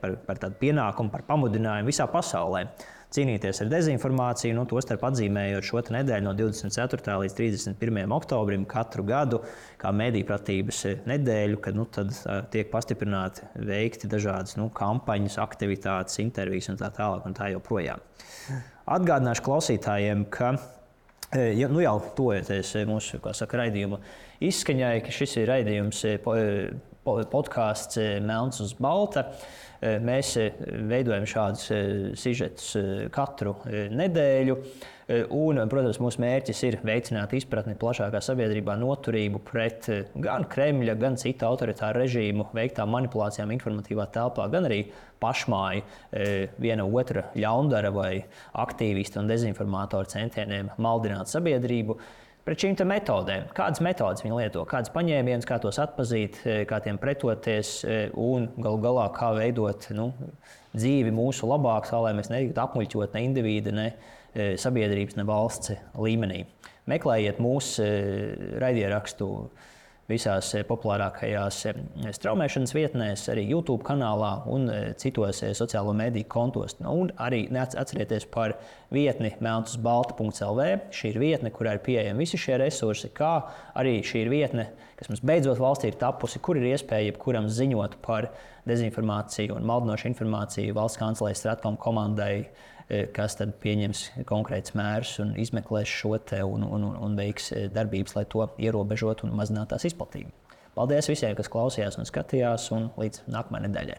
par tādu pienākumu, par pamudinājumu visā pasaulē cīnīties ar dezinformāciju, tostarp atzīmējot šo nedēļu no 24. līdz 31. oktobrim katru gadu kā medijpratības nedēļu, kad tad tiek pastiprināti veikti dažādas kampaņas, aktivitātes, intervijas un tā tālāk un tā joprojām. Atgādināšu klausītājiem, ka jau tojoties mūsu, raidījuma izskaņai, ka šis ir raidījums podkāsts Melns uz balta. Mēs veidojam šādus sižetus katru nedēļu. Un, protams, mūsu mērķis ir veicināt izpratni plašākā sabiedrībā, noturību pret gan Kremļa, gan citu autoritāru režīmu veiktām manipulācijām informatīvā telpā, gan arī pašmāju viena otra ļaundara vai aktīvistu un dezinformātoru centieniem maldināt sabiedrību. Pret šīm metodēm, kādas metodas viņi lieto, kādas paņēmienas, kā tos atpazīt, kā tiem pretoties un galu galā kā veidot dzīvi mūsu labāk, tā lai mēs netiktu apmuļķot ne indivīda, ne sabiedrības, ne valsts līmenī. Meklējiet mūsu raidierakstu visās populārākajās straumēšanas vietnēs, arī YouTube kanālā un citos sociālo mediju kontos. Un arī atcerieties par vietni melnsuzbalta.lv. Šī ir vietne, kurā ir pieejami visi šie resursi, kā arī šī ir vietne, kas mums beidzot valstī ir tapusi, kur ir iespēja jebkuram ziņot par dezinformāciju un maldinošu informāciju valsts kancelejas Stratkom komandai, kas tad pieņems konkrētus mērus un izmeklēs šo te un veiks darbības, lai to ierobežotu un mazinātu tās izplatību. Paldies visiem, kas klausījās un skatījās, un līdz nākamajai nedēļai!